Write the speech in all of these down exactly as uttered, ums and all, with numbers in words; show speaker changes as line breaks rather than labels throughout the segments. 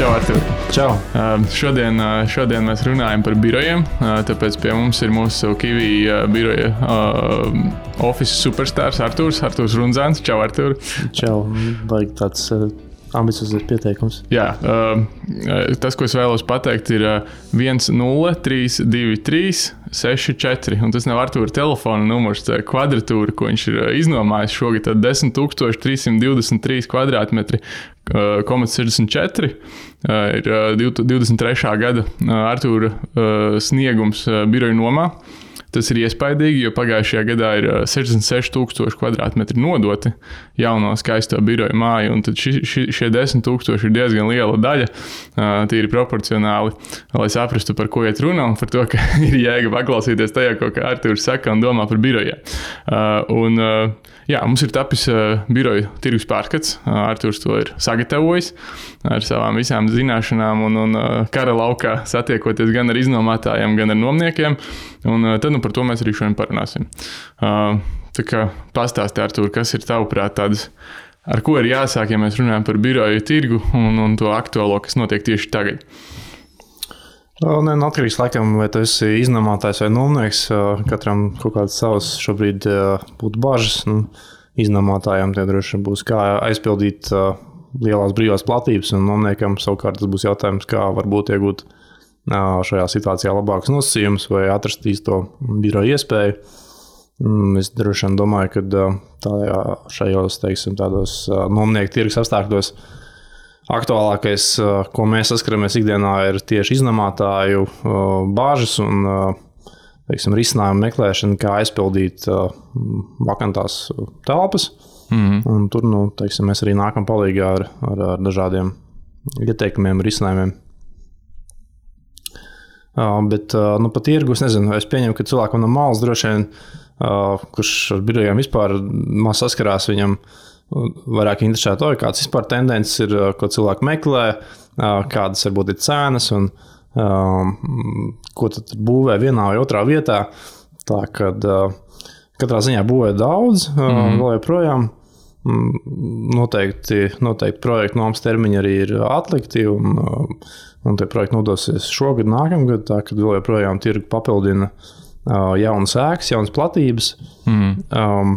Čau, Artur.
Čau.
Šodien, šodien mēs runājam par birojiem, tāpēc pie mums ir mūsu Kiwi biroja office superstars Arturs, Arturs Runzāns. Čau, Artur.
Čau, vajag tāds ambiciozs pieteikums.
Jā, tas, ko es vēlos pateikt, ir viens nulle trīs divi trīs seši četri, un tas nav Artura telefona numurs, tā ir kvadratūra, ko viņš ir iznomājis šogad, tad desmit tūkstoši trīs simt divdesmit trīs kvadrātmetri, komats sešdesmit četri, ir divdesmit trešā gada Artura sniegums biroju nomā. Tas ir iespaidīgi, jo pagājušajā gadā ir sešdesmit seši tūkstoši kvadrātmetri nodoti jauno skaisto biroju māju, un tad ši, ši, šie desmit tūkstoši ir diezgan liela daļa, tīri proporcionāli, lai saprastu, par ko iet runa, un par to, ka ir jēga paklausīties tajā, ko Arturs saka un domā par birojiem. Un, jā, mums ir tapis biroju tirgus pārskats, Arturs to ir sagatavojis ar savām visām zināšanām un, un kara laukā satiekoties gan ar iznomātājiem, gan ar nomniekiem, un tad nu par to mēs arī šodien parunāsim. Tā kā pastāsti, Artur, kas ir tavuprāt tādas, ar ko ir jāsāk, ja mēs runājam par biroju tirgu un, un to aktuālo, kas notiek tieši tagad?
Ne, atkarīgs laikam, vai tu esi iznomātājs vai nomnieks, katram kaut kāds savs šobrīd būtu bažas. Nu, iznomātājiem tie droši būs, kā aizpildīt lielās brīvās platības, un nomniekam savukārt tas būs jautājums, kā varbūt iegūt šajā situācijā labākas nosacījumus vai atrast īsto biroju iespēju. Es droši vien domāju, ka tajā, šajos, teiksim, tādos nomnieku tirgus apstākļos aktuālākais, ko mēs saskaramies ikdienā, ir tieši iznomātāju bāžas un, teiksim, risinājumu meklēšana, kā aizpildīt vakantās telpas. Mm-hmm. Un tur, nu, teiksim, mēs arī nākam palīgā ar, ar, ar dažādiem ieteikumiem, risinājumiem. Uh, bet, uh, nu, pa tirgu, es nezinu, es pieņemu, ka cilvēkam no malas droši vien, uh, kurš ar birojiem vispār maz saskarās, viņam vairāk interesē to, kāds vispār tendences ir, ko cilvēki meklē, uh, kādas varbūt ir cenas un uh, ko tad būvē vienā vai otrā vietā. Tā, kad uh, katrā ziņā būvē daudz, uh, mm-hmm. vēl joprojām noteikti, noteikti projektu nomas termiņi arī ir atlikti un, un tie projekti nodosies šogad, nākamgad, tā, kad vēl joprojām tirgu papildina uh, jaunas ēkas, jaunas platības. Mm. Um,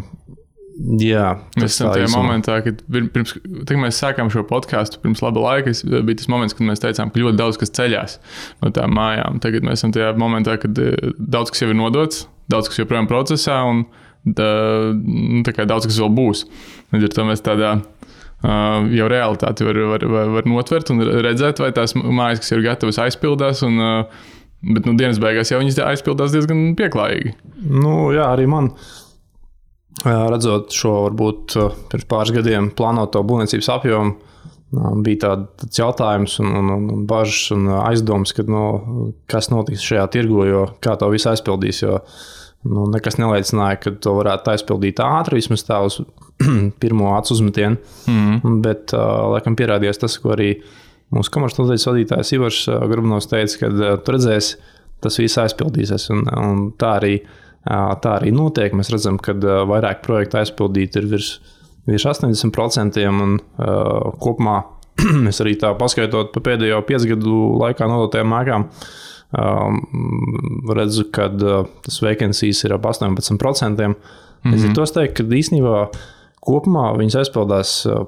jā,
mēs esam tajā momentā, kad pirms, kad mēs sākām šo podcastu pirms laba laika, bija tas moments, kad mēs teicām, ka ļoti daudz kas ceļās no tām mājām. Tagad mēs esam tajā momentā, kad daudz kas jau ir nodots, daudz kas joprojām procesā un tā, tā kā daudz kas vēl būs. Līdz ar to mēs tādā uh, jau realitāti var, var, var, var notvert un redzēt, vai tās mājas, kas ir gatavas, aizpildās, un, uh, bet nu, dienas beigās jau viņas aizpildās diezgan pieklājīgi.
Nu, jā, arī man redzot šo varbūt pirms pāris gadiem plānoto būvniecības apjomu, bija tād, tāds jautājums un, un, un bažas un aizdomas, kad, nu, kas notiks šajā tirgu, jo kā to visu aizpildīs, jo nu, nekas neliecināja, ka to varētu aizpildīt ātri, vismaz tā uz pirmo acu uzmetienu. Mm. Bet, uh, laikam, pierādījās tas, ko arī mūsu komercnodaļas vadītājs Ivars uh, Grubnovs teica, kad uh, tu redzēsi, tas viss aizpildīsies. Un, un tā, arī, uh, tā arī notiek. Mēs redzam, ka uh, vairāk projektu aizpildīt ir virs, virs astoņdesmit procenti un uh, kopumā mēs arī tā paskaitot pa pēdējo piecu gadu laikā nodotajām ēkām, Um, redzu, ka uh, tas vacancies ir ap astoņpadsmit procenti. Mm-hmm. Es ir tos teikt, ka īstenībā kopumā viņas aizpildās uh,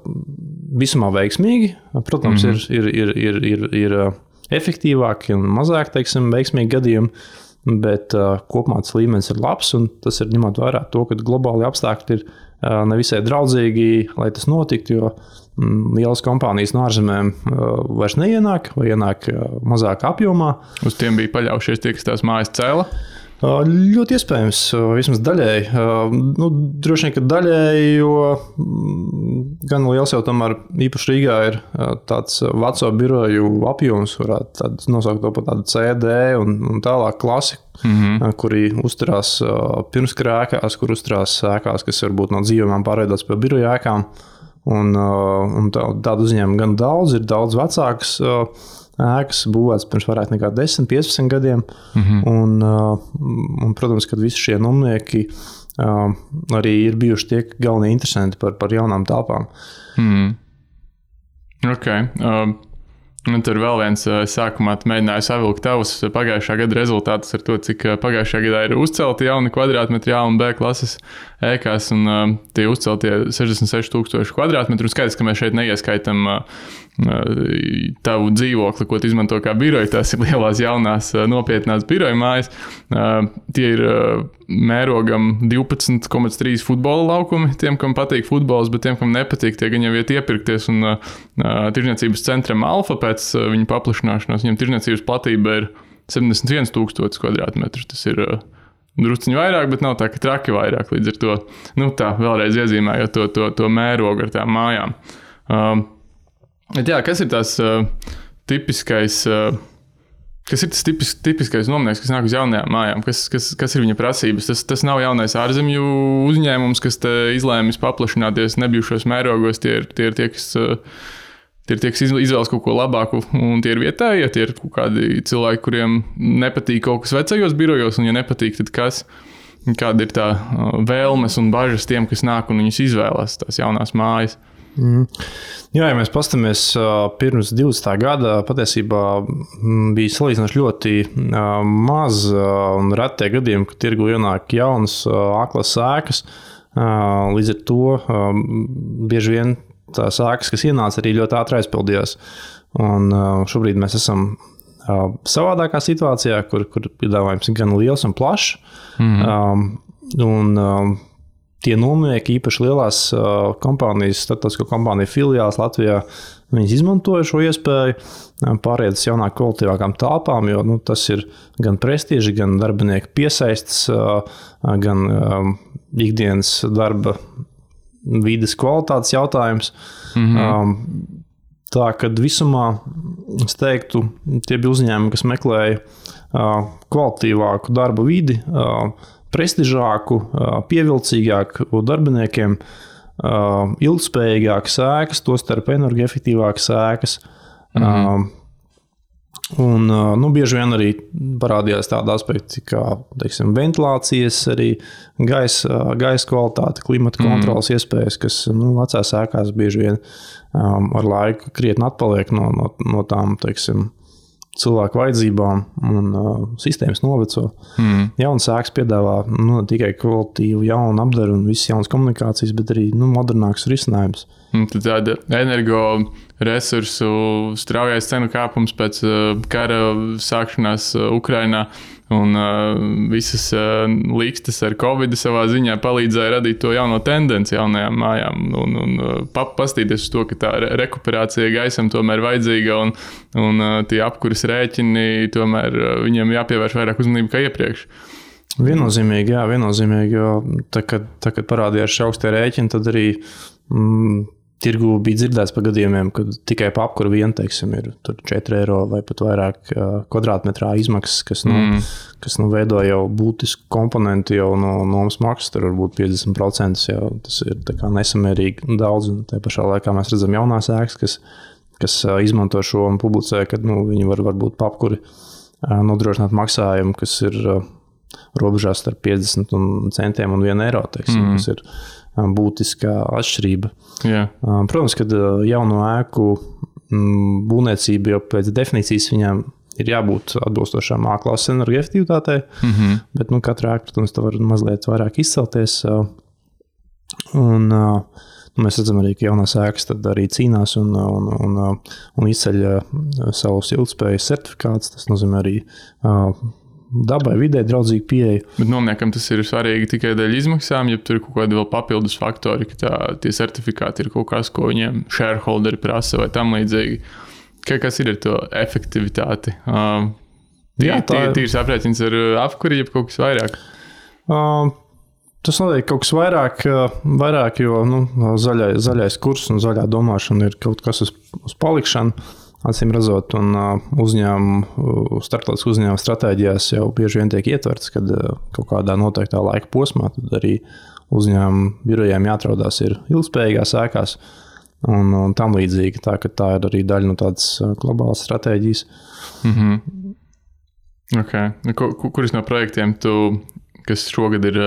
visumā veiksmīgi. Protams, mm-hmm. ir, ir, ir, ir, ir, ir uh, efektīvāki un mazāk, teiksim, veiksmīgi gadījumi, bet uh, kopumā tas līmenis ir labs un tas ir ņemot vērā to, ka globāli apstākļi ir uh, nevisai draudzīgi, lai tas notiktu, jo mm, lielas kompānijas no ārzemēm uh, vairs neienāk vai ienāk uh, mazāk apjomā.
Uz tiem bija paļaujušies tie, kas tās mājas cēla?
Uh, ļoti iespējams, uh, vismaz daļēji. Uh, nu, droši vien, ka daļēji, jo mm, gan liels jau tomēr īpaši Rīgā ir uh, tāds veco biroju apjoms, varētu nosaukt to par tādu C D un, un tālāk klasiku, mm-hmm. uh, kuri uzturās uh, pirmskara ēkās, kur uzturās ēkās, kas varbūt no dzīvojumām pārveidots pie biroju ēkām. Un, uh, un tā, tādu uzņēmumu gan daudz, ir daudz vecāks uh, ēkas būvēts pirms vairāk nekā desmit piecpadsmit gadiem. Mm-hmm. Un, uh, un, protams, kad visi šie nomnieki uh, arī ir bijuši tie galvenie interesanti par, par jaunām telpām.
Mm. Ok. Uh, Un tur vēl viens sākumā mēģināja savilkt tavus pagājušā gada rezultātus ar to, cik pagājušā gadā ir uzcelti jauni kvadrātmetri A un B klases ēkās, un uh, tie uzceltie sešdesmit seši tūkstoši kvadrātmetru. Skaidrs, ka mēs šeit neieskaitam uh, tavu dzīvokli, ko tu izmanto kā biroju, tās ir lielās jaunās nopietnās biroju mājas. Uh, tie ir uh, mērogam divpadsmit komats trīs futbola laukumi, tiem, kam patīk futbols, bet tiem, kam nepatīk, tie gan jau iet iepirkties, un uh, tirdzniecības centram Alfa pēc uh, viņa paplašināšanās, viņam tirdzniecības platība ir septiņdesmit viens tūkstotis kvadrātmetru. Tas ir uh, drusciņi vairāk, bet nav tā, ka traki vairāk. Līdz ar to, nu tā, vēlreiz iezīmējot to, to, to mērogu ar tām mājām. Uh, bet jā, kas ir tās uh, tipiskais, uh, kas ir tas tipis, tipiskais nomnieks, kas nāk uz jaunajām mājām? Kas, kas, kas ir viņa prasības? Tas, tas nav jaunais ārzemju uzņēmums, kas te izlēmis paplašināties nebijušos mērogos. Tie ir tie, ir tie kas... Uh, Tie ir tie, kas izvēlas kaut ko labāku, un tie ir vietējie, ja tie ir kaut kādi cilvēki, kuriem nepatīk kaut kas vecajos birojos, un ja nepatīk, tad kas, kāda ir tā vēlmes un bažas tiem, kas nāk un viņus izvēlas tās jaunās mājas.
Mm. Jā, ja mēs pastamies pirms divdesmitā gada, patiesībā bija salīdzinoši ļoti maz un retie gadījumi, ka tirgu ienāk jaunas A-klases ēkas. Līdz ar to bieži vien tās ēkas, kas ienāca, arī ļoti ātri aizpildījās. Un šobrīd mēs esam savādākā situācijā, kur, kur piedāvājums ir gan liels un plašs. Mm-hmm. Un tie nomnieki, īpaši lielās kompānijas, starptautisko kompāniju filiāls Latvijā, viņas izmantoja šo iespēju pāriet uz jaunāk kvalitīvākām telpām, jo nu, tas ir gan prestiži, gan darbinieku piesaists, gan ikdienas darba vides kvalitātes jautājums. Mm-hmm. Tā, kad visumā, es teiktu, tie bija uzņēmumi, kas meklēja kvalitīvāku darba vidi, prestižāku, pievilcīgāku darbiniekiem, ilgspējīgākas ēkas, tostarp energoefektīvākas ēkas. Mm-hmm. Un, nu, bieži vien arī parādījās tādi aspekti kā, teiksim, ventilācijas, arī gaisa, gaisa kvalitāte, klimata kontrolas mm. iespējas, kas, nu, vecās ēkās bieži vien um, ar laiku krietni atpaliek no, no, no tām, teiksim, cilvēku vajadzībām un uh, sistēmas noveco. Mm. Jaunas ēkas piedāvā nu, ne tikai kvalitīvu jaunu apdaru un visas jaunas komunikācijas, bet arī nu, modernāks risinājums.
Tad tāda energo resursu straujais cenu kāpums pēc uh, kara sākšanās uh, Ukrainā un uh, visas uh, līkstas ar Covid savā ziņā palīdzēja radīt to jauno tendenci jaunajām mājām un, un uh, pastīties uz to, ka tā re- rekuperācija gaisam tomēr vajadzīga un, un uh, tie apkuras rēķini tomēr uh, viņiem jāpievērš vairāk uzmanību kā iepriekš.
Viennozīmīgi, jā, viennozīmīgi, jo tā, kad, tā, kad parādījās šie augstie rēķini, tad arī mm, tirgu bija dzirdēts par gadījumiem, kad tikai pa apkuru vien, teiksim, ir tur četri eiro vai pat vairāk kvadrātmetrā izmaksas, kas, nu, mm. kas nu, veido jau būtisku komponentu jau no nomas maksas, tur varbūt piecdesmit procenti, jau tas ir tā kā nesamērīgi daudz, un tā pašā laikā mēs redzam jaunās ēkas, kas, kas izmanto šo un publicē, kad nu, viņi var varbūt pa apkuri nodrošināt maksājumu, kas ir robežās starp piecdesmit centiem un vienu eiro, teiksim, mm. kas ir būtiskā atšķirība.
Yeah.
Protams, kad jauno ēku būvniecība jau pēc definīcijas viņām ir jābūt atbilstošām A-klases energoefektivitātei, mm-hmm. bet nu, katra ēka, protams, tā var mazliet vairāk izcelties. Un nu, mēs redzam arī, ka jaunās ēkas tad arī cīnās un, un, un, un izceļ savus ilgspējas certifikātus. Tas nozīmē arī dabai, vidē draudzīgu pieeju.
Bet nomniekam tas ir svarīgi tikai dēļ izmaksām, ja tur ir kaut kādi vēl papildus faktori, ka tā, tie certifikāti ir kaut kas, ko viņiem shareholderi prasa vai tam līdzīgi. Kā, kas ir ar to efektivitāti? Uh, tī, Jā, tā ir. Tīrs aprēķins ar apkuri, jeb kaut kas vairāk?
Uh, tas noteikti kaut kas vairāk, vairāk jo nu, zaļai, zaļais kurs un zaļā domāšana ir kaut kas uz, uz palikšanu. Acīm redzot, un uzņēmumu, starptautisku uzņēmumu stratēģijās jau bieži vien tiek ietverts, kad kaut kādā noteiktā laika posmā tad arī uzņēmumu birojiem jāatrodas ir ilgspējīgās ēkās un, un tam līdzīgi. Tā, ka tā ir arī daļa no tādas globālas stratēģijas.
Mm-hmm. Okay. Kuris no projektiem tu, kas šogad ir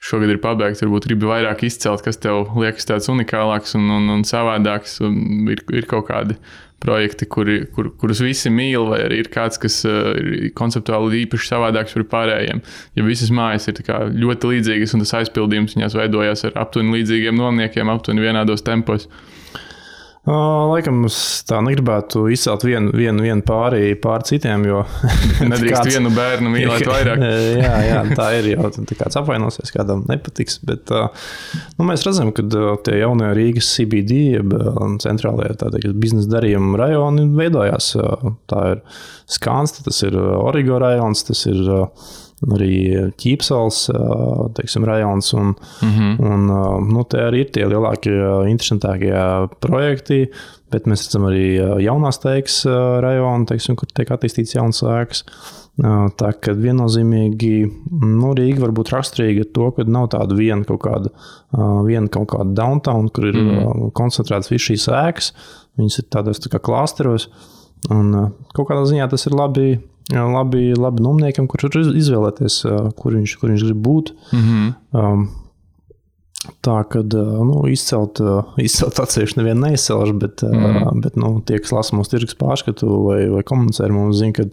šogad ir pabeigts, varbūt gribi vairāk izcelt, kas tev liekas tāds unikālāks un, un, un savādāks. Un ir, ir kaut kādi projekti, kuri, kur, kurus visi mīl, vai arī ir kāds, kas ir konceptuāli īpaši savādāks par pārējiem. Ja visas mājas ir tā kā ļoti līdzīgas un tas aizpildījums viņās veidojās ar aptuveni līdzīgiem nomniekiem, aptuveni vienādos tempos.
Uh, laikam es tā negribētu izcelt vienu, vienu, vienu pāri, pāri citiem, jo...
Nedrīkst kāds... vienu bērnu mīlēt vairāk.
jā, jā, tā ir jau, tā kāds apvainosies, kādam nepatiks, bet uh, nu, mēs redzam, ka uh, tie jaunie Rīgas C B D, jeb centrālajie tādi biznesa darījuma rajoni veidojās. Uh, tā ir Skanste, tas ir Origo rajons, tas ir... Uh, arī Ķīpsals, teiksim, rajons, un, mm-hmm. un nu, te arī ir tie lielākie, interesantākie projekti, bet mēs redzam arī jaunās teiks rajonu, teiksim, kur tiek attīstīts jaunas ēkas. Tā, ka viennozīmīgi, nu, Rīga var būt raksturīga ar to, ka nav tāda viena kaut kāda, viena kaut kāda downtown, kur ir mm. koncentrētas visas šīs ēkas, viņas ir tādos tā kā klāsteros, un kaut kādā ziņā tas ir labi, labi, labi nomniekam, kurš var izvēlēties, kur viņš, kur viņš grib būt. Mm-hmm. Um, tā, kad nu, izcelt, izcelt atsevišķi nevienu neizcelšu, bet, mm-hmm. bet nu, tie, kas lasa mūsu tirgus pārskatu vai, vai komunicē ar mums, zina, ka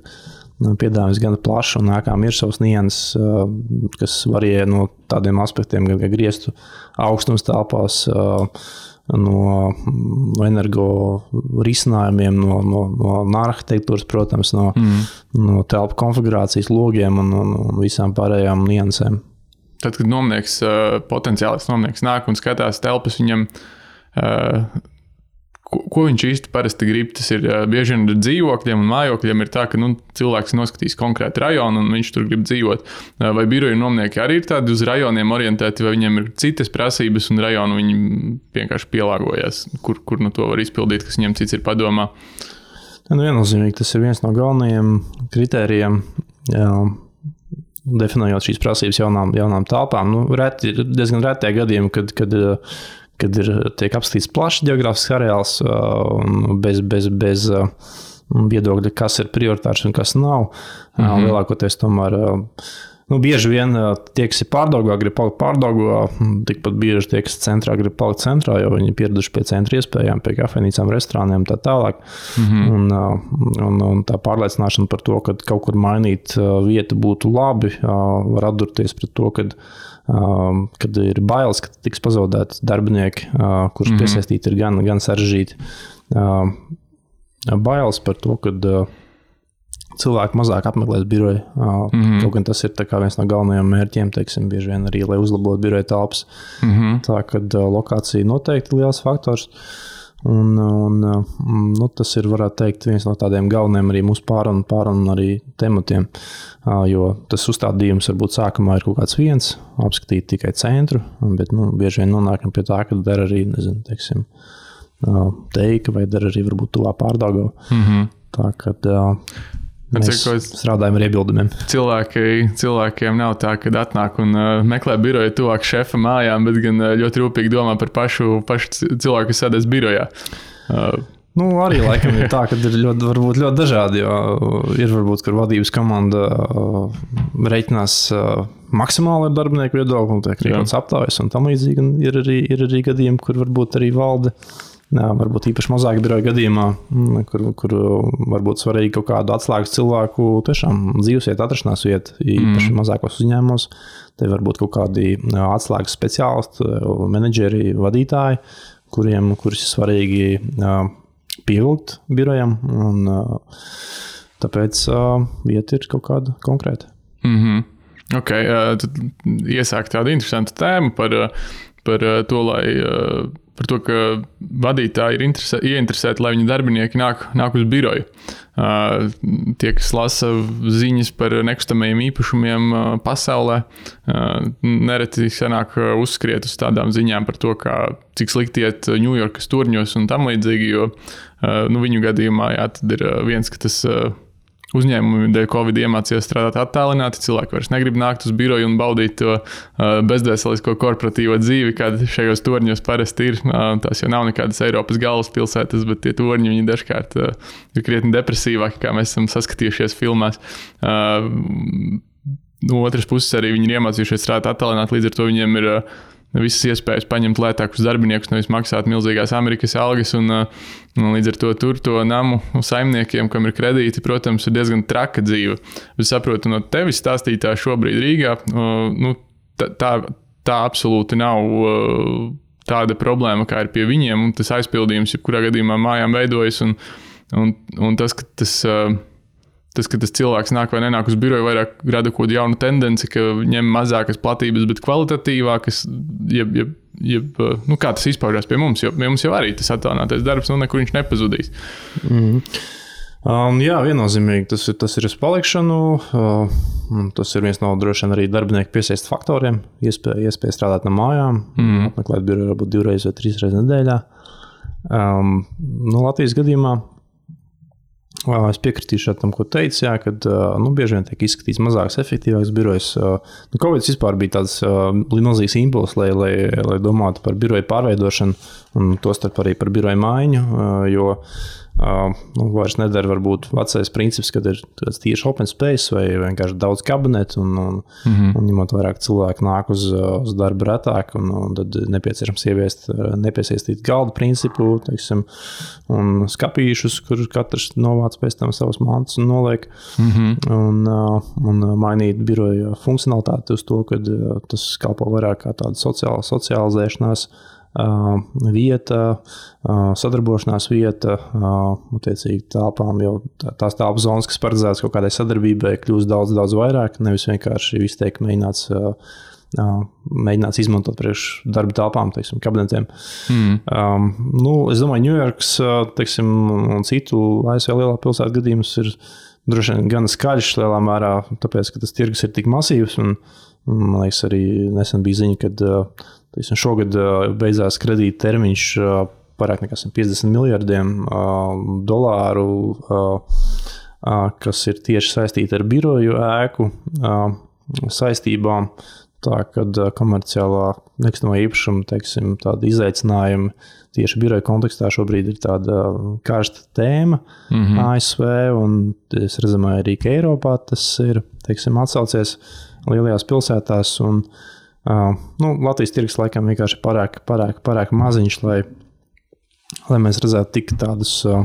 piedāvājums gan plašs un ēkām ir savs nianses, kas varēja no tādiem aspektiem, gan griestu augstums telpās, no, no energo risinājumiem, no, no, no arhitektūras, protams, no, mm. no telpu konfigurācijas logiem un, un, un visām pārējām niansēm.
Tad, kad nomnieks, potenciālis nomnieks nāk un skatās telpas, viņam, ko, ko viņš īsti parasti grib, tas ir bieži vien ar dzīvokļiem un mājokļiem ir tā, ka nu, cilvēks noskatīs konkrētu rajonu un viņš tur grib dzīvot. Vai biroju nomnieki arī ir tādi uz rajoniem orientēti, vai viņiem ir citas prasības un rajonu viņi vienkārši pielāgojas, kur, kur nu to var izpildīt, kas viņiem cits ir padomā?
Nu, viennozīmīgi, tas ir viens no galvenajiem kritērijiem, jā, definējot šīs prasības jaunām, jaunām telpām. Nu, reti, diezgan retie gadījumi, kad, kad kad ir tiek apskatīts plašs geogrāfisks areāls bez, bez, bez viedokļa, kas ir prioritārs un kas nav. Mm-hmm. Lielākoties tomēr, nu, bieži vien tie, kas ir Pārdaugavā, grib palikt Pārdaugavā, tikpat bieži tie, kas centrā grib palikt centrā, jo viņi pieraduši pie centra iespējām, pie kafejnīcām, restorāniem tā tālāk. Mm-hmm. Un, un, un tā pārliecināšana par to, ka kaut kur mainīt vietu būtu labi, var atdurties pret to, kad Uh, kad ir bailes, ka tiks pazaudēti darbinieki, uh, kurš mm-hmm. piesaistīti ir gan, gan sarežģīti. Uh, bailes par to, ka uh, cilvēki mazāk apmeklēs biroju. Uh, mm-hmm. Kaut gan tas ir tā kā viens no galvenajiem mērķiem, teiksim, bieži vien arī, lai uzlabotu biroju telpas. Mm-hmm. Tā, kad uh, lokācija noteikti ir liels faktors. Un, un nu, tas ir, varētu teikt, viens no tādiem galveniem arī mūsu pārunu, pārunu arī tematiem, jo tas uzstādījums varbūt sākumā ir kaut kāds viens, apskatīt tikai centru, bet nu, bieži vien nonākam pie tā, ka der arī, nezinu, teiksim, Teika vai der arī varbūt tuvā Pārdaugava. Mm-hmm. Tā, kad mēs Cik, strādājam ar iebildumiem.
Cilvēki, cilvēkiem nav tā, kad atnāk un uh, meklē biroju tuvāk šefa mājām, bet gan uh, ļoti rūpīgi domā par pašu, pašu cilvēku, kas sēdēs birojā. Uh,
Nu, arī laikam ir tā, ka ir ļoti, varbūt ļoti dažādi, jo ir varbūt, kur vadības komanda uh, reiķinās uh, maksimāli ar darbinieku viedokli, un tiek rīkots aptājas un tam līdzīgi, un ir arī, ir arī gadījumi, kur varbūt arī valde, jā, varbūt īpaši mazāk biroja gadījumā, kur, kur varbūt svarīgi kaut kādu atslēgas cilvēku tiešām dzīvesviet, atrašanās vietu, īpaši mm. mazākos uzņēmumos, te varbūt kaut kādi atslēgas speciālisti, menedžeri, vadītāji, kuriem, kurus ir svarīgi uh, pievilkt birojam, un uh, tāpēc uh, vieta ir kaut kāda konkrēta.
Mm-hmm. Ok, uh, tad iesāk tādu interesantu tēmu par, par to, lai, uh, par to, ka vadītāji ir interesē, ieinteresēti, lai viņa darbinieki nāk, nāk uz biroju. Uh, tie, kas lasa ziņas par nekustamajiem īpašumiem uh, pasaulē, uh, nereti sanāk uh, uzskriet uz tādām ziņām par to, kā, cik slikti iet Ņujorkas turņos un tam līdzīgi, jo uh, nu, viņu gadījumā jā, tad ir uh, viens, ka tas uh, uzņēmumi dēļ Covid iemācījās strādāt attālināti, cilvēki vairs negrib nākt uz biroju un baudīt to uh, bezdvēselisko korporatīvo dzīvi, kāda šajos torņos parasti ir. Uh, tās jau nav nekādas Eiropas galvaspilsētas, bet tie torņi viņi dažkārt uh, ir krietni depresīvāki, kā mēs esam saskatījušies filmās. Uh, no otras puses arī viņi ir iemācījušies strādāt attālināt, līdz ar to viņiem ir uh, visas iespējas paņemt lētākus darbiniekus, nevis maksāt milzīgās Amerikas algas, un, un līdz ar to tur to namu saimniekiem, kam ir kredīti, protams, ir diezgan traka dzīve. Es saprotu no tevis stāstītā šobrīd Rīgā, nu, tā, tā, tā absolūti nav tāda problēma, kā ir pie viņiem, un tas aizpildījums, jebkurā gadījumā mājām veidojas, un, un, un tas, ka tas... Tas, ka tas cilvēks nāk vai nenāk uz biroju, vairāk rada kaut kādu jaunu tendenci, ka ņem mazākas platības, bet kvalitatīvākas, jeb, jeb, jeb, nu kā tas izpaužās pie mums, jo pie mums jau arī tas attālinātais darbs, nu nekur viņš nepazudīs.
Mm. Um, jā, viennozīmīgi tas ir, tas ir uz palikšanu, uh, tas ir viens no droši vien arī darbinieku piesaist faktoriem, iespēja, iespēja strādāt no mājām, mm. apmeklēt biroju varbūt divreiz vai trīs reizes nedēļā. Um, nu, Latvijas gadījumā es piekritīšu tam, ko teicu, jā, kad nu, bieži vien tiek izskatīts mazāks, efektīvāks birojs. Nu, Covid vispār bija tāds uh, milzīgs impulss, lai, lai, lai domātu par biroju pārveidošanu un tostarp arī par biroju maiņu, uh, jo uh, nu, vairs nedara varbūt vecais princips, kad ir tieši open space vai vienkārši daudz kabinetu un, un, mm-hmm. un ņemot vairāk cilvēku nāk uz, uz darbu retāk un, un tad nepieciešams ieviest nepiesaistīt galda principu, teiksim, un skapīšus, kur katrs novāc pēc tam savas mantas un noliek mm-hmm. un, uh, un mainīt biroja funkcionalitāti uz to, kad uh, tas kalpo vairāk kā tāda sociāla, socializēšanās Uh, vieta, uh, sadarbošanās vieta, uh, attiecīgi telpām jau tā, tās telpas zonas, kas paredzētas kaut kādai sadarbībai, kļūst daudz, daudz vairāk, nevis vienkārši viss tiek mēģināts, uh, uh, mēģināts izmantot priekš darba telpām, teiksim, kabinetiem. Mm. Um, nu, es domāju, Ņujorkas, teiksim, un citu A S V lielā pilsētu gadījums ir droši vien gan skaļš lielā mērā, tāpēc, ka tas tirgus ir tik masīvs, un, un man liekas, arī nesen bija ziņa, kad uh, šogad beidzās kredīta termiņš pārāk nekā piecdesmit miljardiem dolāru, kas ir tieši saistīti ar biroju ēku saistībām. Tā, kad komerciālā nekustamā īpašuma, teiksim, tāda izaicinājuma tieši biroja kontekstā šobrīd ir tāda karsta tēma mm-hmm. A S V, un es rezumēju arī, ka Eiropā tas ir, teiksim, atsaucies lielajās pilsētās, un Uh, nu, Latvijas tirgus laikam vienkārši pārāk, pārāk, pārāk maziņš, lai, lai mēs redzētu tik tādus uh,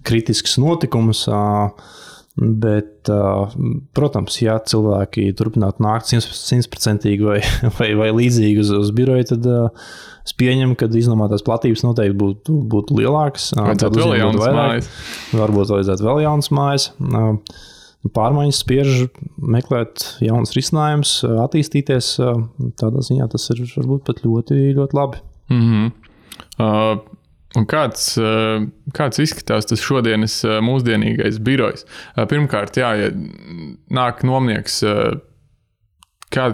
kritiskus notikumus, uh, bet, uh, protams, ja cilvēki turpinātu nākt simtprocentīgi vai, vai, vai līdzīgi uz, uz biroju, tad uh, es pieņemu, ka iznomātās platības noteikti būtu, būtu lielākas. Uh,
vajadzētu vēl jaunas mājas.
Varbūt vajadzētu vēl jaunas mājas. Uh, Pārmaiņas spiež meklēt jaunas risinājumus, attīstīties. Tādā ziņā tas ir varbūt pat ļoti, ļoti labi.
Mm-hmm. Uh, un kāds, uh, kāds izskatās tas šodienas uh, mūsdienīgais birojs? Uh, pirmkārt, jā, ja nāk nomnieks, uh, kā,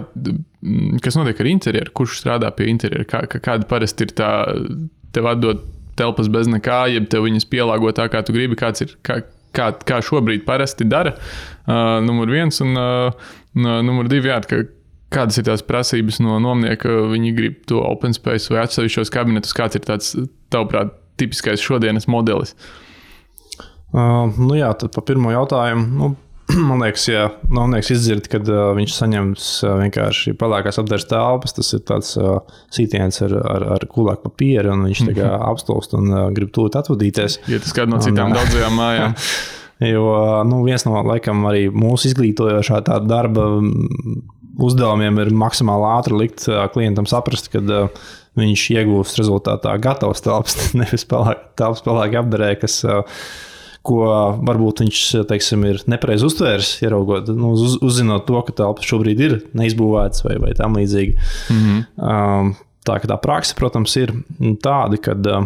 kas notiek ar interjeru? Kurš strādā pie interjeru? Kā, kāda parasti ir tā, tev atdot telpas bez nekā, jeb tev viņas pielāgo tā, kā tu gribi? Kāds ir... Kā, Kā, kā šobrīd parasti dara, uh, numur viens, un uh, numur divi, jā, ka, kādas ir tās prasības no nomnieka, viņi grib to open space vai atsevišķos kabinetus, kāds ir tāds, tavuprāt, tipiskais šodienas modelis?
Uh, nu jā, tad pa pirmo jautājumu, nu, man liekas, ja nomnieks izdzird, kad uh, viņš saņems uh, vienkārši pelēkās apdares telpas, tas ir tāds uh, sītiens ar, ar, ar kulāku papīru, un viņš tā kā apstulst un uh, grib tūt atvadīties.
Ja tas kāda no citām un, daudzajām mājām.
Jo nu, viens no, laikam, arī mūsu izglītojošā tā darba uzdevumiem ir maksimāli ātri likt uh, klientam saprast, kad uh, viņš iegūst rezultātā gatavs telpas, nevis pelēk, telpas pelēki apdarē, kas... Uh, ko varbūt viņš, teiksim, ir nepareiz uztvērs, ieraugot, nu, uz, uzzinot to, ka telpas šobrīd ir neizbūvētas vai, vai tam līdzīgi. Mm-hmm. Um, tā, ka tā praksa, protams, ir tāda, kad uh,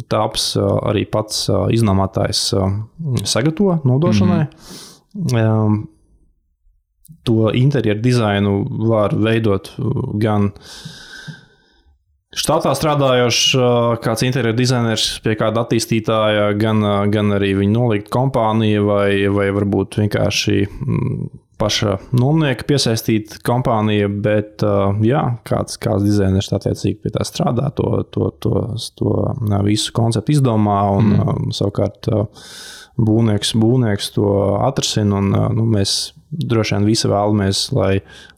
telpas uh, arī pats uh, iznomātājs uh, sagatavo nodošanai. Mm-hmm. Um, to interjeru dizainu var veidot gan štatā strādājošs kāds interjeru dizainers pie kāda attīstītāja, gan, gan arī viņa nolikt kompānija vai, vai varbūt vienkārši paša nomnieka piesaistīta kompānija, bet uh, jā, kāds, kāds dizainers attiecīgi pie tā strādā, to, to, to, to visu konceptu izdomā un mm. uh, savukārt uh, būvnieks, būvnieks to atrasina un uh, nu, mēs droši vien visi vēlamies, lai,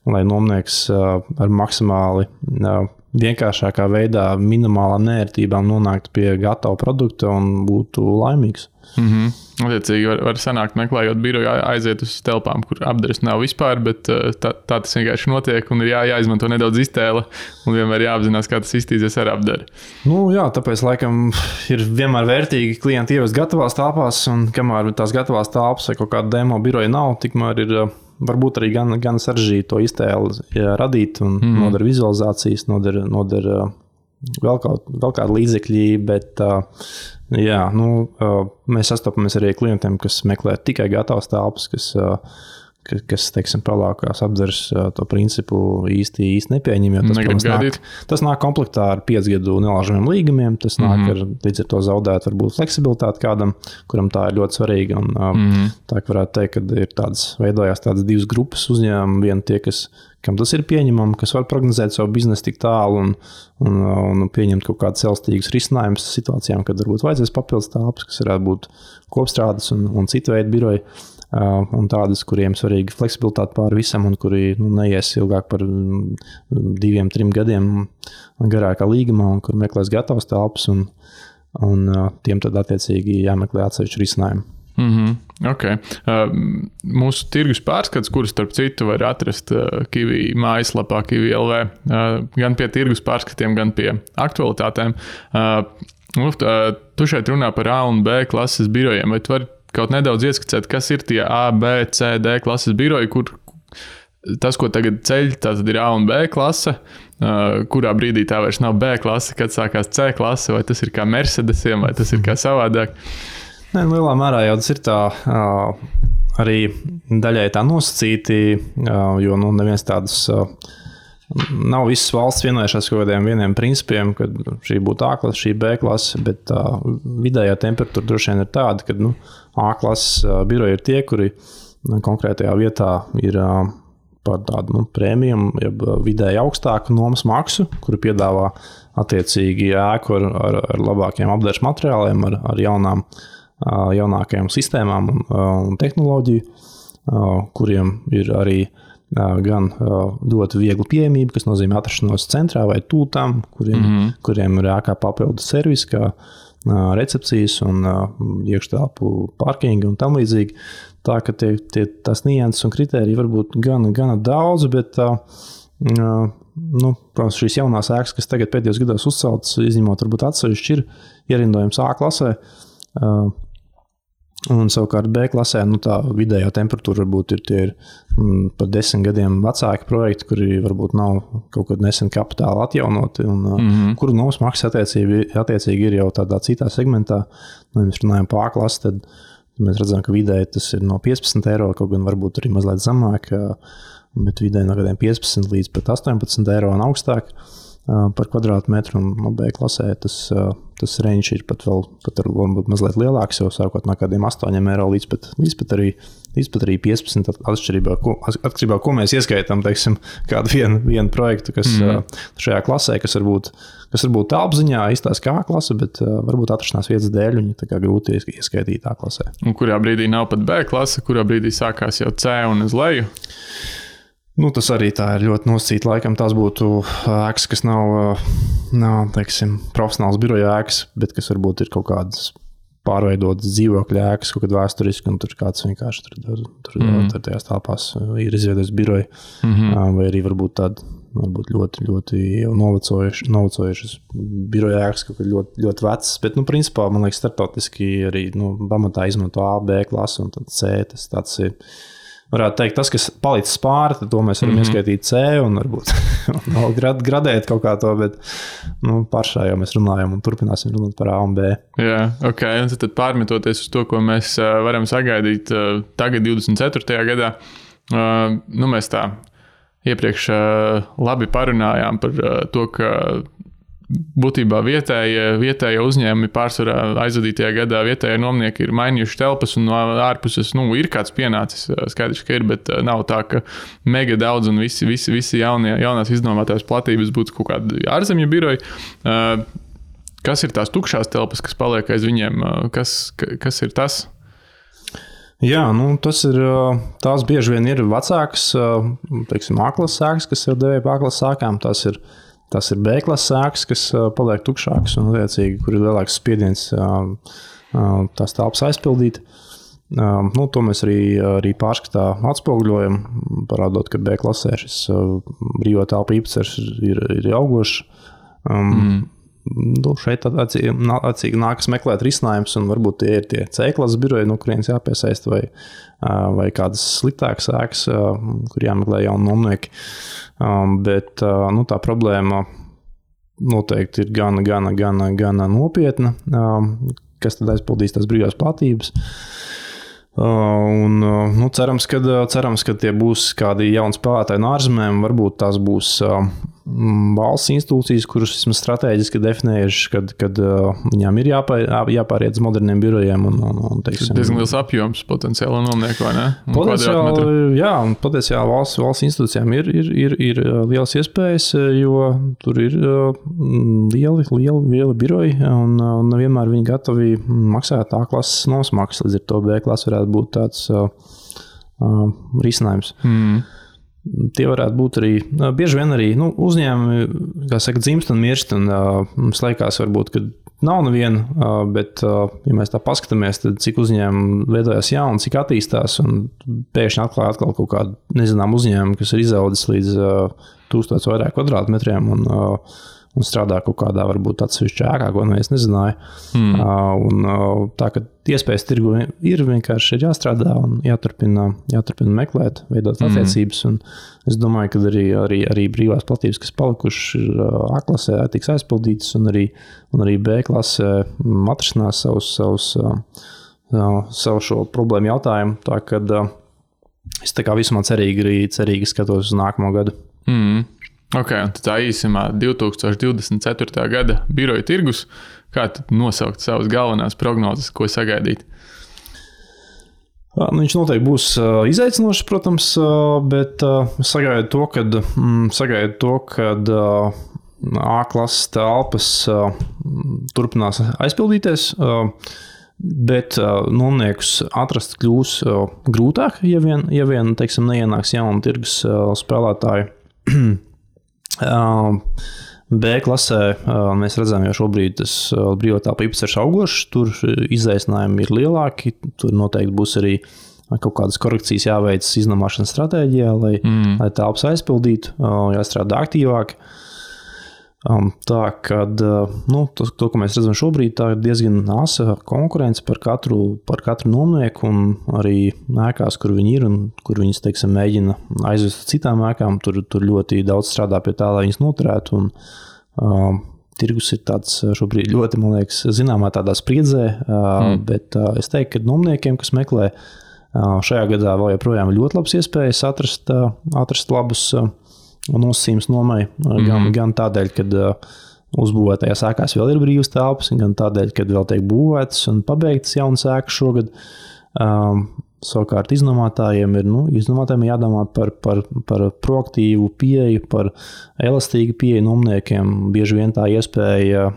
lai nomnieks uh, ar maksimāli uh, vienkāršākā veidā, minimālām neērtībām nonāktu pie gatava produkta un būtu laimīgs.
Mm-hmm. Attiecīgi var, var sanākt meklējot biroju aiziet uz telpām, kur apdares nav vispār, bet tā, tā tas vienkārši notiek un ir jā, jāizmanto nedaudz iztēle un vienmēr jāapzinās, kā tas iztīsies ar apdari.
Nu jā, tāpēc laikam ir vienmēr vērtīgi klienti ievest gatavās telpās un kamēr tās gatavās telpas vai kaut kāda demo biroja nav, tikmēr ir varbūt arī gan, gan sarežģīti to iztēli radīt un mm. nodara vizualizācijas, nodara, nodara vēl, kaut, vēl kādu līdzekļi, bet jā, nu, mēs sastopamies arī klientiem, kas meklē tikai gatavas telpas, kas, kas teiksim, pelākās apdzeres to principu īsti, īsti nepieņem, jo tas, protams, nāk, tas nāk komplektā ar pieci gadu nelāžamiem līgumiem, tas nāk mm-hmm. ar līdz ar to zaudēt varbūt fleksibilitāti kādam, kuram tā ir ļoti svarīga, un mm-hmm. tā, ka varētu teikt, ka ir tādas, veidojās tādas divas grupas uzņēmumi, viena tie, kas kam tas ir pieņemami, kas var prognozēt savu biznesu tik tālu un, un, un pieņemt kaut kādus elastīgus risinājumus situācijām, kad varbūt vajadzēs papildus telpas, kas varētu būt kopstrādes un, un citu veidu biroji, uh, un tādas, kuriem svarīga fleksibilitāte pāri visam un kuri nu, neies ilgāk par diviem, trim gadiem garākā līgumā un kur meklēs gatavas telpas un, un uh, tiem tad attiecīgi jāmeklē atsevišķi risinājumi.
Mm-hmm. Okay. Uh, mūsu tirgus pārskats, kurus starp citu var atrast uh, Kiwi mājaslapā Kiwi L V, uh, gan pie tirgus pārskatiem, gan pie aktualitātēm. Uh, uh, tu šeit runā par A un B klases birojiem, vai tu vari kaut nedaudz ieskicēt, kas ir tie A, B, C, D klases biroji, kur tas, ko tagad ceļ, tātad ir A un B klase, uh, kurā brīdī tā vairs nav B klase, kad sākās C klase, vai tas ir kā Mercedesiem, vai tas ir kā savādāk?
Nē, nu, lielā mērā jau tas ir tā uh, arī daļai tā nosacīti, uh, jo nu, neviens tādas uh, nav visas valsts vienojušās kaut kādiem vieniem principiem, kad šī būtu A klase, šī B klase, bet uh, vidējā temperatūra droši vien ir tāda, ka nu, A klases uh, biroji ir tie, kuri uh, konkrētajā vietā ir uh, par tādu nu, prēmiju, jeb vidēji augstāku nomas maksu, kuru piedāvā attiecīgi ēku ar, ar, ar labākiem apdares materiāliem, ar, ar jaunām jaunākajām sistēmām un, un tehnoloģiju, kuriem ir arī gan ļoti viegli pieejamība, kas nozīmē atrašanos centrā vai tūtām, kuriem, mm-hmm. kuriem ir ēkā papildu servis, kā recepcijas un iekštelpu parkingi un tam līdzīgi. Tā, ka tie, tie, tās nianses un kritēriji varbūt gan, gana daudz, bet nu, protams, šīs jaunās ēkas, kas tagad pēdējos gados uzceltas, izņemot varbūt atsevišķi, ir ierindojums A klasē. Un savukārt B klasē, nu tā vidējā temperatūra varbūt ir tie ir mm, par desmit gadiem vecāki projekti, kuri varbūt nav kaut kad nesen kapitāli atjaunoti un mm-hmm. kuru nomas maksa attiecīgi, attiecīgi ir jau tādā citā segmentā. Nu, ja mēs runājam par A klasi, tad mēs redzam, ka vidēji tas ir no piecpadsmit eiro, kaut gan varbūt arī mazliet zamāk, bet vidēji no kādiem piecpadsmit līdz pat astoņpadsmit eiro un augstāk par kvadrātmetru, un no B klasē tas, tas range ir pat vēl pat varbūt mazliet lielāks, jau sākot no kādiem astoņiem eiro līdz pat, līdz pat arī, līdz pat arī piecpadsmit atšķirībā, ko, atšķirībā, ko mēs ieskaitām, teiksim, kādu vienu, vienu projektu, kas mm. šajā klasē, kas varbūt, kas varbūt telpziņā izstās kā A klase, bet varbūt atrašanās vietas dēļ viņi tā kā grūti ieskaitīt A klasē. Un
kurā brīdī nav pat B klase, kurā brīdī sākās jau C un uz leju?
Nu, tas arī tā ir ļoti nosacīta. Laikam tās būtu ēkas, kas nav, nav teiksim, profesionāls biroja ēkas, bet kas varbūt ir kaut kādas pārveidotas dzīvokļa ēkas, kaut kad vēsturiski, un tur kāds vienkārši tur, tur, tur, mm. tur tajās telpās ir izveidojis biroju, mm-hmm. vai arī varbūt tāda varbūt ļoti, ļoti novecojušas, novecojušas biroja ēkas, kaut kad ļoti, ļoti vecas, bet, nu, principā, man liekas, starptautiski arī, nu, pamatā izmanto A, B klasi, un tad C, tas tāds ir. Varētu teikt, tas, kas palicis pāri, tad to mēs varam mm-hmm. ieskaitīt C un varbūt vēl grad, gradēt kaut kā to, bet nu, pašā jau mēs runājam un turpināsim runāt par A un B.
Jā, ok. Un tad pārmetoties uz to, ko mēs varam sagaidīt tagad divdesmit ceturtajā gadā, nu mēs tā iepriekš labi parunājām par to, ka būtībā vietējie, vietējie uzņēmumi pārsvarā aizvadītajā gadā vietējie nomnieki ir mainījuši telpas un no ārpuses, nu, ir kāds pienācis, skaidrs, ka ir, bet nav tā, ka mega daudz un visi, visi, visi jaunie, jaunās iznomātās platības būtu kaut kādi ārzemju biroji. Kas ir tās tukšās telpas, kas paliek aiz viņiem? Kas, kas ir tas?
Jā, nu, tas ir, tās bieži vien ir vecākas, teiksim, A-klases sēkas, kas ir devēja A-klases sēkām. Tas ir, tas ir B-klases sēkas, kas paliek tukšākas un, liecīgi, kur ir lielāks spiediens tās telpas aizpildīt. Nu, to mēs arī, arī pārskatā atspoguļojam, parādot, ka B-klasē šis brīvā telpa īpatsvars ir, ir augošs. Mm. Nu, šeit atcīgi nākas meklēt risinājums, un varbūt tie ir tie C-klases biroji, no kurienes jāpiesaist, vai, vai kādas sliktākas ēkas, kur jāmeklē jauni nomnieki. Bet nu, tā problēma noteikti ir gana, gana, gana, gana nopietna, kas tad aizpildīs tās brīvās platības. Un, nu, cerams, ka, cerams, ka tie būs kādi jauni spēlētāji no ārzemēm, varbūt tās būs valsts institūcijas, kuras esmu strateģiski definējuši, kad, kad viņām ir jāpār, jāpāriet uz moderniem birojiem. Un, un, un, teiksim,
tas ir diezgan liels apjoms potenciāli nomnieku, vai ne?
Potenciāli, jā, un potenciāli valsts, valsts institūcijām ir, ir, ir, ir lielas iespējas, jo tur ir lieli, lieli, lieli biroji, un, un vienmēr viņi gatavi maksāt A-klases nosmaksas, līdz ar to B-klases varētu būt tāds uh, uh, risinājums. Mm. Tie varētu būt arī, bieži vien arī nu, uzņēmumi, kā saka, dzimst un mirst, un uh, mums liekas varbūt, ka nav neviena, uh, bet, uh, ja mēs tā paskatāmies, tad cik uzņēmumi veidojās jauni, cik attīstās, un pēkšņi atklāja atkal kaut kādu nezinām uzņēmumu, kas ir izaudzis līdz uh, tūkstots vairāk kvadrātmetriem, un uh, un strādā kaut kādā varbūt atsevišķā ēkā, ko neviens nezināja. Mm. Uh, un uh, tā, ka iespējas tirgu ir, vienkārši ir jāstrādā un jāturpina, jāturpina meklēt, veidot mm. attiecības. Un es domāju, ka arī, arī, arī brīvās platības, kas palikuši ir uh, A-klasē, tiks aizpildītas, un arī, un arī B-klasē atrisinās savus, savus, uh, uh, savu šo problēmu jautājumu. Tā, kad uh, es tā kā vismaz cerīgi, arī cerīgi skatos uz nākamo gadu.
Mm. Ok, un tā īsumā divi tūkstoši divdesmit ceturtā gada biroja tirgus, kā tad nosaukt savas galvenās prognozes, ko sagaidīt?
Nu, viņš noteikti būs izaicinošs, protams, bet sagaidu to, kad, sagaidu to, kad A-klases telpas turpinās aizpildīties, bet nomniekus atrast kļūs grūtāk, ja vien, ja vien teiksim, neienāks jauni tirgus spēlētāji. B-klasē mēs redzam, jau šobrīd tas brīvā telpa īpatsvars augošs, tur izaicinājumi ir lielāki, tur noteikti būs arī kaut kādas korekcijas jāveic iznomāšanas stratēģijā, lai, mm. lai telpas aizpildītu, jāstrādā aktīvāk. Tā, kad, nu, to, to, ko mēs redzam šobrīd, tā ir diezgan asa konkurence par katru, par katru nomnieku, un arī ēkās, kur viņi ir un kur viņas, teiksim, mēģina aizvest citām ēkām, tur, tur ļoti daudz strādā pie tā, lai viņas noturētu, un uh, tirgus ir tāds šobrīd ļoti, man liekas, zināmā tādā spriedzē, uh, mm. bet uh, es teiktu, ka nomniekiem, kas meklē uh, šajā gadā vēl joprojām ļoti labas iespējas atrast, uh, atrast labus uh, nosacījums nomai, gan, mm. gan tādēļ, kad uh, uzbūvētajās ēkās vēl ir brīvas telpas, gan tādēļ, kad vēl tiek būvētas un pabeigtas jaunas ēkas šogad. Um, savukārt iznomātājiem ir, nu, iznomātājiem jādomā par, par, par proaktīvu pieeju, par elastīgu pieeju nomniekiem. Bieži vien tā iespēja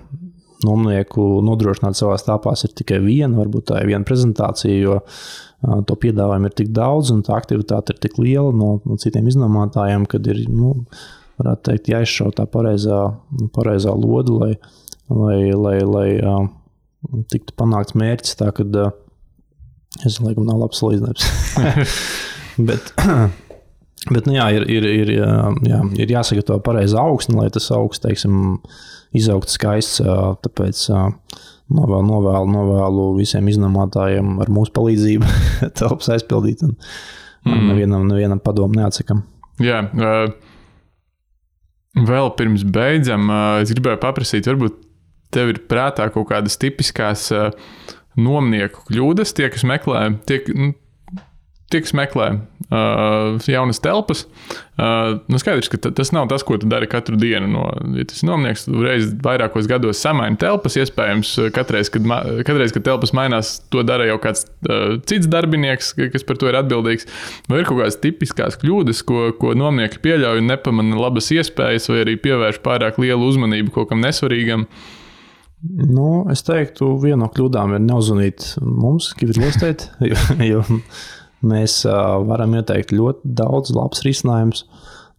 nomnieku nodrošināt savās telpās ir tikai viena, varbūt tā ir viena prezentācija, jo to piedāvājumu ir tik daudz un tā aktivitāte ir tik liela no, no citiem iznomātājiem, kad ir, nu, varētu teikt, jāizšau tā pareizā, pareizā lodu, lai, lai, lai, lai uh, tiktu panākts mērķis, tā, kad uh, es laikam nav labs salīdzinājums. bet, bet, nu jā, ir, ir, ir, jā, ir jāsagatavo pareizā augsne, lai tas augsts, teiksim, izaugt skaists, uh, tāpēc uh, Novēlu, novēlu, novēlu visiem iznomātājiem ar mūsu palīdzību telpas aizpildīt un mm. nevienam, nevienam padomu neatsakam.
Jā, uh, vēl pirms beidzam, uh, es gribēju paprasīt, varbūt tev ir prātā kaut kādas tipiskās uh, nomnieku kļūdas, tie, kas meklē, tie, nu, tie, kas meklē uh, jaunas telpas, uh, nu skaidrs, ka t- tas nav tas, ko tu dari katru dienu. No, ja tas ir nomnieks, tu reiz vairākos gados samaini telpas, iespējams, katreiz, kad, ma- katreiz, kad telpas mainās, to dara jau kāds uh, cits darbinieks, kas par to ir atbildīgs. Vai ir kaut kādas tipiskās kļūdas, ko, ko nomnieki pieļauj un nepamana labas iespējas, vai arī pievērš pārāk lielu uzmanību kaut kam nesvarīgam?
Nu, es teiktu, viena no kļūdām ir neuzvanīt mums, Kivit-Lostēt, jo, jo mēs uh, varam ieteikt ļoti daudz labs risinājums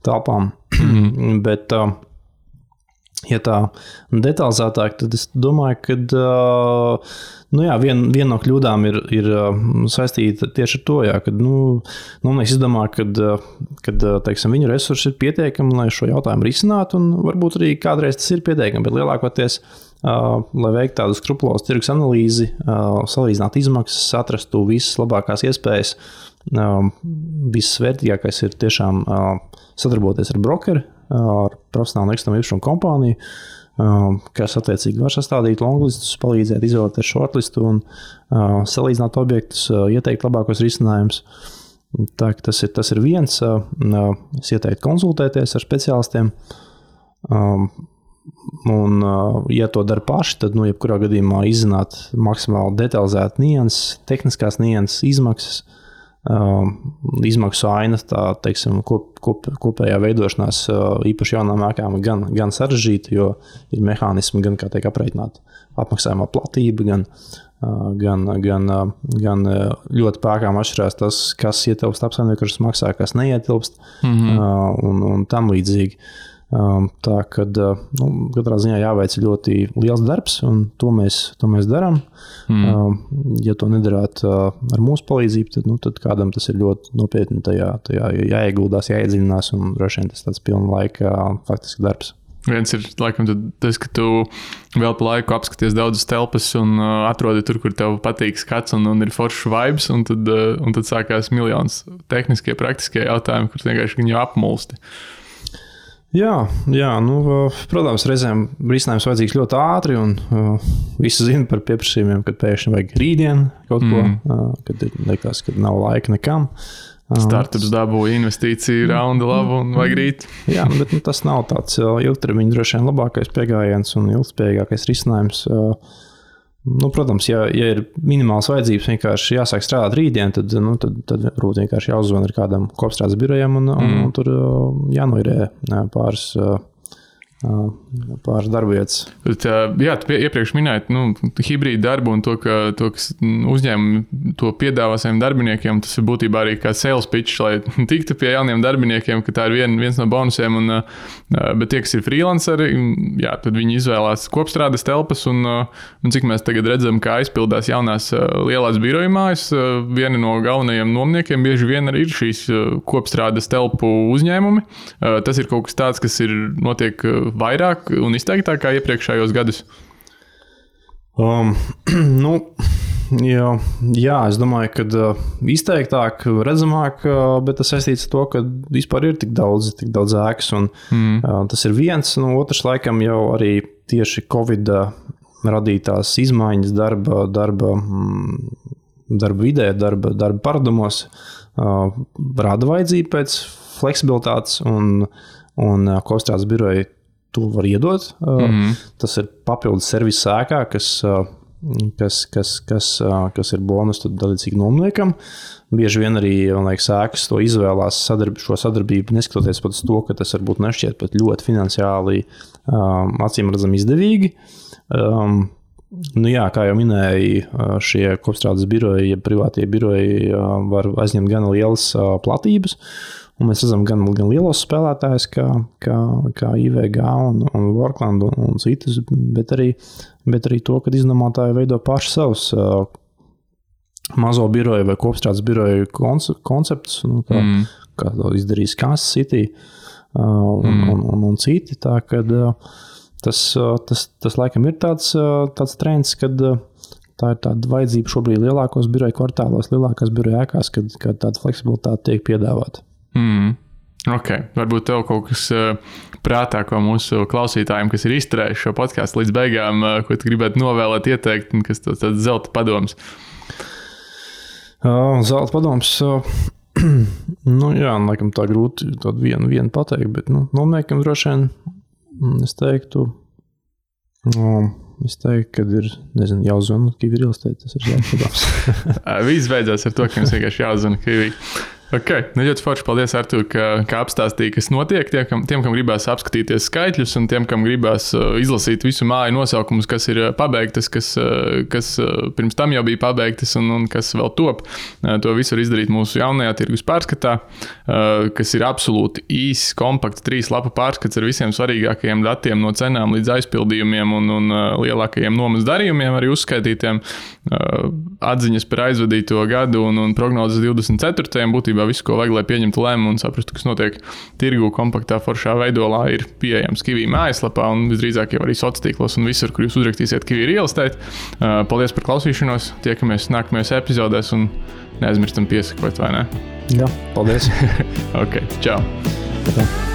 telpām, mm-hmm. bet, uh, ja tā detalizētāk, tad es domāju, ka uh, nu jā, viena vien no kļūdām ir, ir uh, saistīta tieši ar to, jā, kad nu, nomnieks izdomā, kad, uh, kad teiksim, viņu resursi ir pietiekami, lai šo jautājumu risinātu, un varbūt arī kādreiz tas ir pietiekami, bet lielākoties Uh, lai veiktu tādu skrupulozu tirgus analīzi, uh, salīdzinātu izmaksas, atrastu visas labākās iespējas. Uh, viss vērtīgākais ir tiešām uh, sadarboties ar brokeri, uh, ar profesionālu nekustamā īpašuma kompāniju, uh, kas attiecīgi var sastādīt longlistus, palīdzēt izvēlēties shortlistu un uh, salīdzināt objektus, uh, ieteikt labākos risinājumus. Tā, tas, ir, tas ir viens. Uh, es ieteiktu konsultēties ar speciālistiem. Um, Un, ja to dara paši, tad, nu, jebkurā gadījumā izzināt maksimāli detalizēt nianses, tehniskās nianses, izmaksas, um, izmaksu ainas, tā, teiksim, kop, kop, kopējā veidošanās īpaši jaunām ēkām gan, gan sarežģīta, jo ir mehānismi, gan, kā tiek aprēķināta apmaksājumā platība, gan, gan, gan, gan ļoti pēkām atšķirās tas, kas ietilpst apsaimniekošanas maksā, kas neietilpst, mm-hmm. un, un tam līdzīgi. Um, tā, kad nu, katrā ziņā jāveic ļoti liels darbs, un to mēs, to mēs darām. Mm. Um, ja to nedarāt uh, ar mūsu palīdzību, tad, nu, tad kādam tas ir ļoti nopietni tajā, tajā jāieguldās, jāiedziļinās, un droši vien tas tāds pilna laika faktiski darbs.
Viens ir, laikam, tas, ka tu vēl pa laiku apskaties daudzas telpas un uh, atrodi tur, kur tev patīk skats un, un ir foršs vibes, un tad, uh, un tad sākās miljons tehniskie, praktiskie jautājumi, kur vienkārši viņu apmulsti.
Jā, jā nu, protams, reizēm risinājums vajadzīgs ļoti ātri, un uh, visi zina par pieprasījumiem, kad pēkšņi vajag rītdien kaut ko, mm. uh, kad liekas, ka nav laika nekam. Uh,
Startups dabūja investīciju raunda labu un vajag rīt.
Jā, bet nu, tas nav tāds ilgtermiņa droši vien labākais pieejams un ilgspējīgākais risinājums. Uh, Nu, protams, ja, ja ir minimāls vajadzības vienkārši jāsāk strādāt rītdien, tad, nu, tad, tad varbūt vienkārši jāuzzvana ar kādam kopstrādes birojam un, un, un tur jānoirē pāris, pāris darbvietas.
Jā, tu iepriekš minēji nu, hibrīdu darbu un to, ka to, kas uzņēmumi to piedāvā saviem darbiniekiem, tas ir būtībā arī kā sales pitch, lai tiktu pie jauniem darbiniekiem, ka tā ir vien, viens no bonusiem. Un, bet tie, kas ir freelanceri, jā, tad viņi izvēlās kopstrādes telpas un, un cik mēs tagad redzam, kā aizpildās jaunās lielās biroja mājas, vieni no galvenajiem nomniekiem bieži vien arī ir šīs kopstrādes telpu uzņēmumi. Tas ir kaut kas tāds, kas ir notiek vairāk un izteiktāk kā iepriekšējos gadus?
Um, nu, jā, jā, es domāju, ka uh, izteiktāk, redzamāk, uh, bet tas saistīts ar to, ka vispār ir tik daudz, tik daudz ēkas, un mm. uh, tas ir viens, nu, otrs laikam jau arī tieši Covid radītās izmaiņas darba, darba, darba vidē, darba, darba paradumos uh, rada vajadzību pēc fleksibilitātes, un, un uh, kopstrādes biroji to var iedot. Mm-hmm. Tas ir papildus servis ēkā, kas, kas, kas, kas, kas ir bonus dalīcīgi nomniekam. Bieži vien arī, man liekas, ēkas to izvēlās sadarb, šo sadarbību, neskatoties pat uz to, ka tas varbūt nešķiet pat ļoti finansiāli um, acīm redzam izdevīgi. Um, nu jā, kā jau minēju, šie kopstrādes biroji, ja privātie biroji uh, var aizņemt gan lielas uh, platības. Un mēs redzam gan, gan lielos spēlētājus, kā, kā, kā I V G un, un Workland un, un citus, bet arī, bet arī to, ka iznomātāji veido paši savus uh, mazo biroju vai kopstrādes biroju konceptus, nu, kā, mm. kā to izdarīs Kansas City uh, un, mm. un, un, un citi. Tā, kad, uh, tas, uh, tas, tas laikam ir tāds, uh, tāds trends, kad uh, tā ir tāda vajadzība šobrīd lielākos biroju kvartālos, lielākās biroju ēkās, kad, kad tāda fleksibilitāte tiek piedāvāta.
Mm. Ok, varbūt tev kaut kas uh, prātā, ko mūsu klausītājiem, kas ir izturējuši šo podcastu līdz beigām, uh, ko tu gribētu novēlēt, ieteikt, un kas tas tāds zelta padoms?
Uh, zelta padoms. Uh, nu, jā, laikam tā grūti tādu vienu, vienu pateikt, bet nu, nomniekam droši vien es teiktu, um, es teiktu, kad ir, nezinu, jāuzzvana Kiwi Real Estate, tas ir zelta padoms.
Viss beidzās ar to, ka jums vienkārši jāuzzvana Kiwi. Ok, nu ļoti forši. Paldies, Artur, ka, ka apstāstīji, kas notiek. Tiem, kam, tiem, kam gribās apskatīties skaitļus, un tiem, kam gribās uh, izlasīt visu māju nosaukumus, kas ir uh, pabeigtas, kas, uh, kas uh, pirms tam jau bija pabeigtas un, un kas vēl top. Uh, to visu var izdarīt mūsu jaunajā tirgus pārskatā, uh, kas ir absolūti īss, kompakts, trīs lapu pārskats ar visiem svarīgākajiem datiem no cenām līdz aizpildījumiem un, un uh, lielākajiem nomas darījumiem arī uzskaitītiem. Uh, atziņas par aizvadīto gadu un, un prognozes divdesmit ceturtajam būtībā visu, ko vajag, lai pieņemtu lēmumu un saprastu, kas notiek tirgu kompaktā foršā veidolā, ir pieejams Kiwi mājaslapā un visdrīzāk jau arī sociālos tīklos un visur, kur jūs uzrakstīsiet Kiwi Real Estate. Uh, paldies par klausīšanos, tiekamies nākamajās epizodēs un neaizmirstam piesakot, vai ne?
Jā, paldies.
Ok, čau.
Tā.